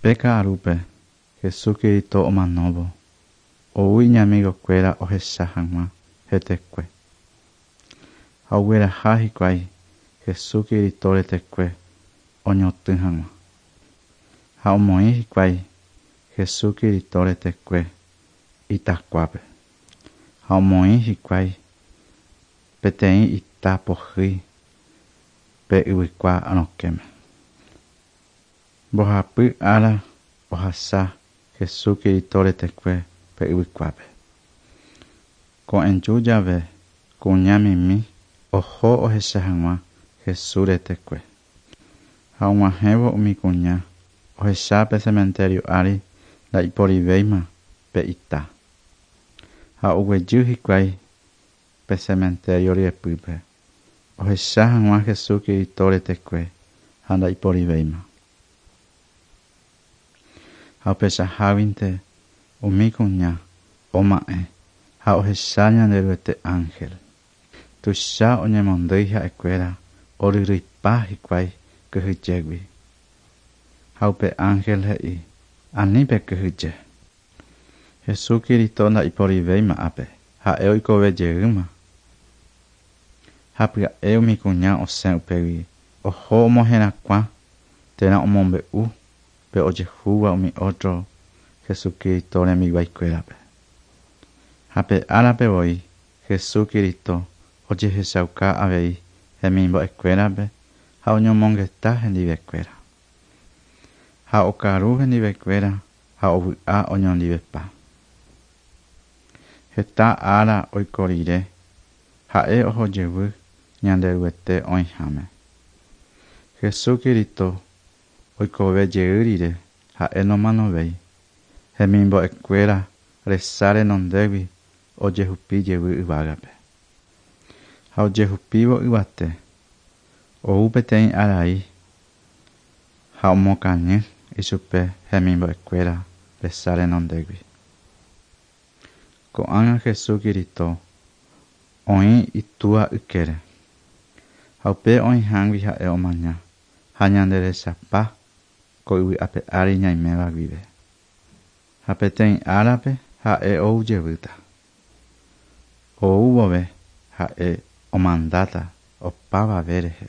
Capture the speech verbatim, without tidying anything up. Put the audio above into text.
Pe ka'arúpe Jesucristo omanóvo ou iñamigokuéra ohecha hag̃ua hetekue. Ha ogueraha hikuái Jesucristo retekue oñotỹ hag̃ua. Ha omoĩ hikuái Jesucristo retekue itakuápe. Ha omoĩ hikuái peteĩ ita pohýi pe yvykua rokẽme. Mbohapy ára ohasa Jesucristo retekue pe yvykuápe. Ko'ẽju jave kuñamimi oho ohecha hag̃ua Jesús retekue. Ha og̃uahẽvo umi kuña ohecha pe cementerio ári ndaiporivéima pe ita. Ha oguejy hikuái pe cementerio ryepýpe ohecha hag̃ua Jesucristo retekue ha ndaiporivéima. Ha upechaháguinte umi kuña oma'ẽ ha ohecha Ñanderuete ángel. Tuicha oñemondýi ha'ekuéra oryryipa hikuái kyhyjégui. Ha upe ángel he'i ani pekyhyje. Jesucristo ndaiporivéima ápe ha'e oikovejeýma. Ha pya'e umi kuña osẽ upégui oho omoherakuã térã omombe'u pe ojehúva umi otro Jesucristo rembiguaikuérape. Ha pe árape voi Jesucristo ojehechauka avei hemimbo'ekuérape ha oñomongeta hendivekuéra. Ha okaru hendivekuéra ha ovy'a oñondivepa. Heta ára oiko rire ha'e ohojevy Ñanderuete oĩháme. Jesucristo oikovejey rire ha'e nomanovéi. Hemimbo'ekuéra resa renondégui ojehupi jevy yvágape. Ha ojehupívo yvate ou peteĩ arai ha omokañy ichupe hemimbo'ekuéra resa renondégui. Ko'ág̃a Jesucristo oĩ itúa ykére. Ha upe oĩhágui ha'e omaña ha ñanderechapa ko yvy ape ári ñaiméva guive. Ha peteĩ árape ha'e oujevýta. Ou vove ha'e omandáta opavave rehe.